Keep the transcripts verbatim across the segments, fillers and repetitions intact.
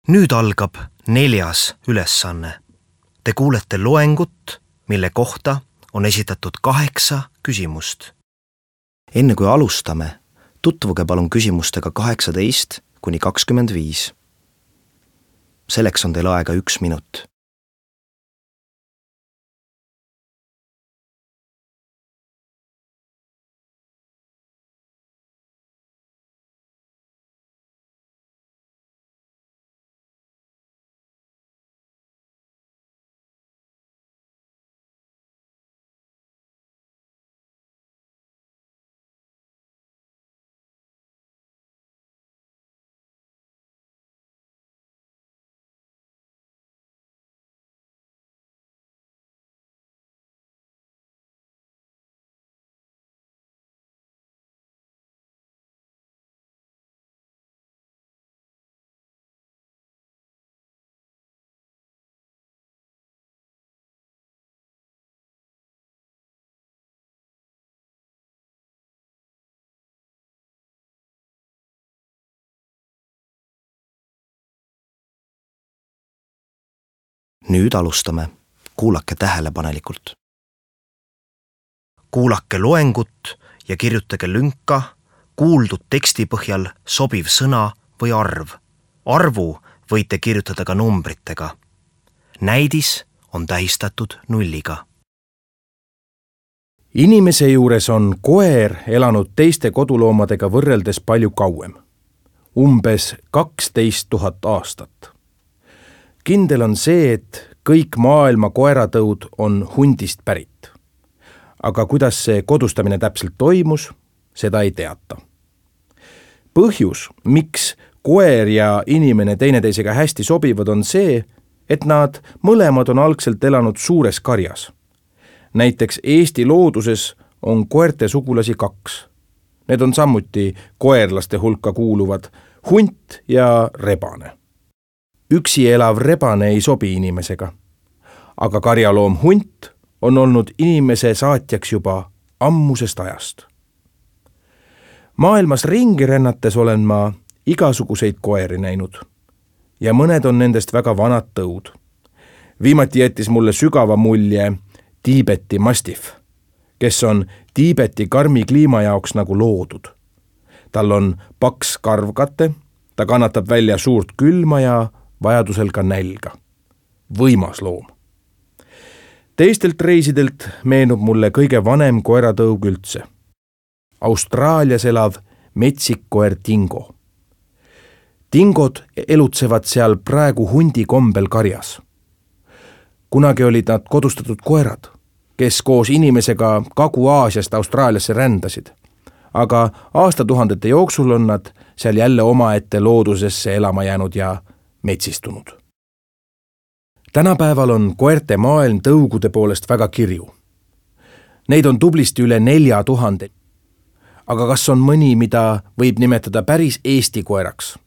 Nüüd algab neljas ülesanne. Te kuulete loengut, mille kohta on esitatud kaheksa küsimust. Enne kui alustame, tutvuge palun küsimustega kaheksateist kuni kakskümmend viis. Selleks on teil aega üks minut. Nüüd alustame. Kuulake tähelepanelikult. Kuulake loengut ja kirjutage lünka kuuldud teksti põhjal sobiv sõna või arv. Arvu võite kirjutada ka numbritega. Näidis on tähistatud nulliga. Inimese juures on koer elanud teiste koduloomadega võrreldes palju kauem. Umbes kaksteist tuhat aastat. Kindel on see, et kõik maailma koeratõud on hundist pärit. Aga kuidas see kodustamine täpselt toimus, seda ei teata. Põhjus, miks koer ja inimene teineteisega hästi sobivad, on see, et nad mõlemad on algselt elanud suures karjas. Näiteks Eesti looduses on koerte sugulasi kaks. Need on samuti koerlaste hulka kuuluvad hunt ja rebane. Üksi elav rebane ei sobi inimesega, aga karjaloom hunt on olnud inimese saatjaks juba ammusest ajast. Maailmas ringi rännates olen ma igasuguseid koeri näinud ja mõned on nendest väga vanad tõud. Viimati jättis mulle sügava mulje Tiibeti mastiff, kes on Tiibeti karmi kliima jaoks nagu loodud. Tal on paks karvkate, ta kannatab välja suurt külma ja vajadusel ka nälga. Võimas loom. Teistelt reisidelt meenub mulle kõige vanem koeratõug üldse. Austraalias elav metsikkoer Dingo. Dingod elutsevad seal praegu hundi kombel karjas. Kunagi olid nad kodustatud koerad, kes koos inimesega Kagu-Aasiast Austraaliasse rändasid. Aga aastatuhandete jooksul on nad seal jälle omaette loodusesse elama jäänud ja metsistunud. Tänapäeval on koerte maailm tõugude poolest väga kirju. Neid on tublisti üle nelja tuhande. Aga kas on mõni, mida võib nimetada päris Eesti koeraks?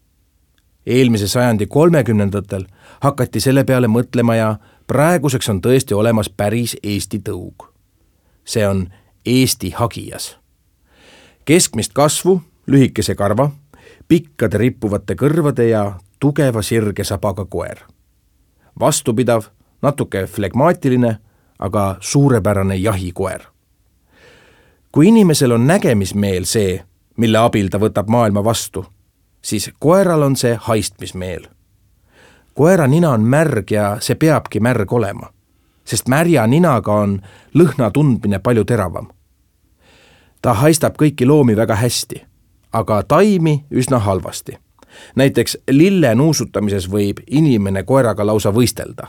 Eelmise sajandi kolmekümnendatel hakati selle peale mõtlema ja praeguseks on tõesti olemas päris Eesti tõug. See on Eesti hagijas. Keskmist kasvu, lühikese karva, pikkade rippuvate kõrvade ja tugeva sirge sabaga koer. Vastupidav, natuke flegmaatiline, aga suurepärane jahikoer. Kui inimesel on nägemismeel see, mille abil ta võtab maailma vastu, siis koeral on see haistmismeel. Koera nina on märg ja see peabki märg olema, sest märja ninaga on lõhna tundmine palju teravam. Ta haistab kõiki loomi väga hästi, aga taimi üsna halvasti. Näiteks lille nuusutamises võib inimene koeraga lausa võistelda.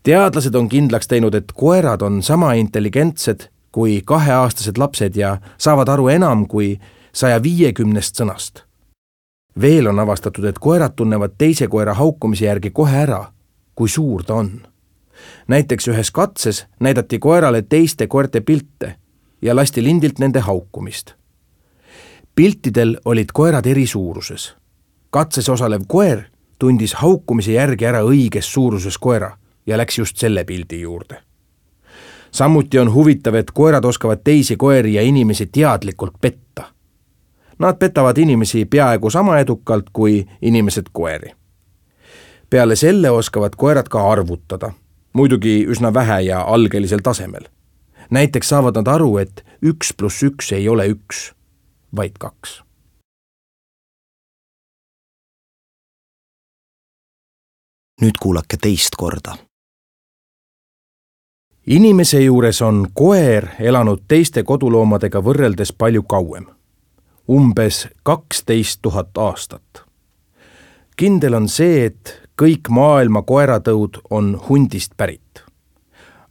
Teadlased on kindlaks teinud, et koerad on sama intelligentsed kui kaheaastased lapsed ja saavad aru enam kui saja viiekümnest sõnast. Veel on avastatud, et koerad tunnevad teise koera haukumise järgi kohe ära, kui suur ta on. Näiteks ühes katses näidati koerale teiste koerte pilte ja lasti lindilt nende haukumist. Piltidel olid koerad eri suuruses. Katses osalev koer tundis haukumise järgi ära õiges suuruses koera ja läks just selle pildi juurde. Samuti on huvitav, et koerad oskavad teisi koeri ja inimesi teadlikult petta. Nad petavad inimesi peaaegu sama edukalt kui inimesed koeri. Peale selle oskavad koerad ka arvutada, muidugi üsna vähe ja algelisel tasemel. Näiteks saavad nad aru, et üks pluss üks ei ole üks, vaid kaks. Nüüd kuulake teist korda. Inimese juures on koer elanud teiste koduloomadega võrreldes palju kauem. Umbes kaksteist tuhat aastat. Kindel on see, et kõik maailma koeratõud on hundist pärit.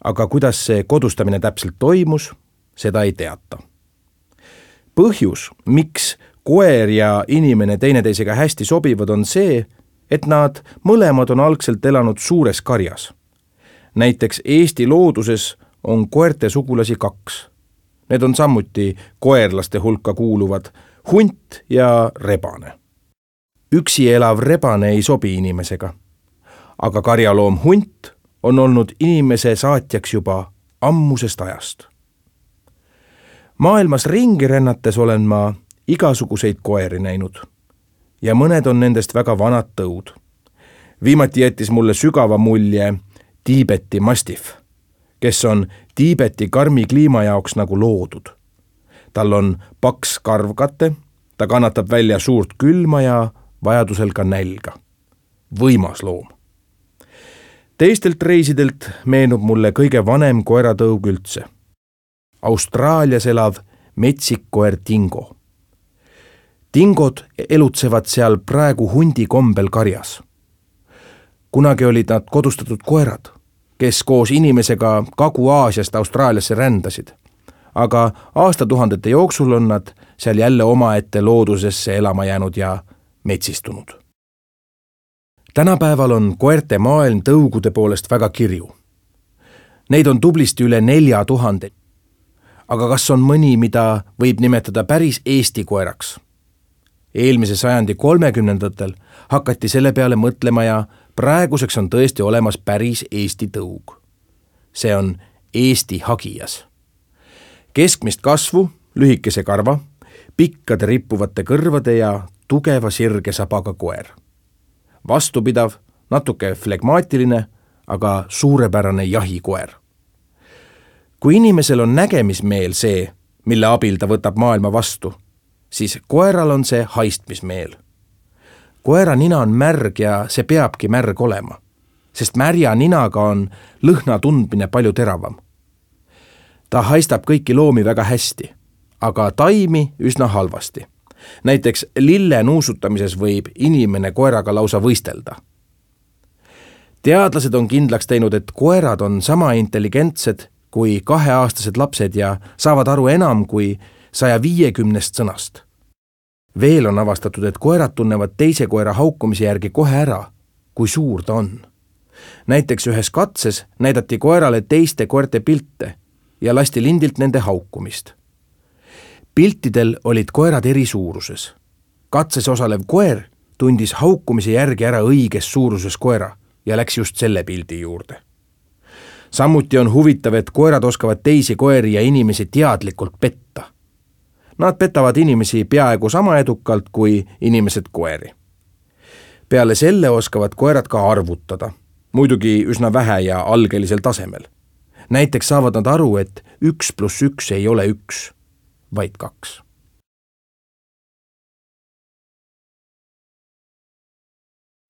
Aga kuidas see kodustamine täpselt toimus, seda ei teata. Põhjus, miks koer ja inimene teineteisega hästi sobivad, on see, et nad mõlemad on algselt elanud suures karjas. Näiteks Eesti looduses on koerte sugulasi kaks. Need on samuti koerlaste hulka kuuluvad hunt ja rebane. Üksi elav rebane ei sobi inimesega, aga karjaloom hunt on olnud inimese saatjaks juba ammusest ajast. Maailmas ringi rännates olen ma igasuguseid koeri näinud ja mõned on nendest väga vanad tõud. Viimati jättis mulle sügava mulje Tiibeti mastiff, kes on Tiibeti karmi kliima jaoks nagu loodud. Tal on paks karvkate, ta kannatab välja suurt külma ja vajadusel ka nälga. Võimas loom. Teistelt reisidelt meenub mulle kõige vanem koeratõug üldse. Austraalias elav metsikkoer Dingo. Dingod elutsevad seal praegu hundi kombel karjas. Kunagi olid nad kodustatud koerad, kes koos inimesega Kagu-Aasiast Austraaliasse rändasid, aga aastatuhandete jooksul on nad seal jälle omaette loodusesse elama jäänud ja metsistunud. Tänapäeval on koerte maailm tõugude poolest väga kirju. Neid on tublisti üle nelja tuhande. Aga kas on mõni, mida võib nimetada päris Eesti koeraks? Eelmise sajandi kolmekümnendatel hakati selle peale mõtlema ja praeguseks on tõesti olemas päris Eesti tõug. See on Eesti hagijas. Keskmist kasvu, lühikese karva, pikkade rippuvate kõrvade ja tugeva sirge sabaga koer. Vastupidav, natuke flegmaatiline, aga suurepärane jahikoer. Kui inimesel on nägemismeel see, mille abil ta võtab maailma vastu, siis koeral on see haistmismeel. Koera nina on märg ja see peabki märg olema, sest märja ninaga on lõhna tundmine palju teravam. Ta haistab kõiki loomi väga hästi, aga taimi üsna halvasti. Näiteks lille nuusutamises võib inimene koeraga lausa võistelda. Teadlased on kindlaks teinud, et koerad on sama intelligentsed kui kaheaastased lapsed ja saavad aru enam kui saja viiekümnest sõnast. Veel on avastatud, et koerad tunnevad teise koera haukumise järgi kohe ära, kui suur ta on. Näiteks ühes katses näidati koerale teiste koerte pilte ja lasti lindilt nende haukumist. Piltidel olid koerad eri suuruses. Katses osalev koer tundis haukumise järgi ära õiges suuruses koera ja läks just selle pildi juurde. Samuti on huvitav, et koerad oskavad teisi koeri ja inimesi teadlikult petta. Nad petavad inimesi peaaegu sama edukalt kui inimesed koeri. Peale selle oskavad koerad ka arvutada, muidugi üsna vähe ja algelisel tasemel. Näiteks saavad nad aru, et üks pluss üks ei ole üks, vaid kaks.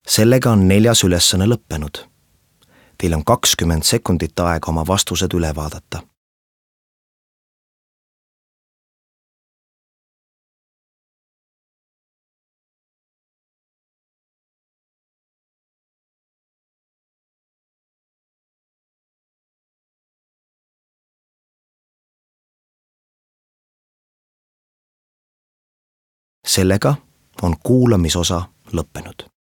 Sellega on neljas ülesanne lõppenud. Teil on kakskümmend sekundit aega oma vastused üle vaadata. Sellega on kuulamisosa lõppenud.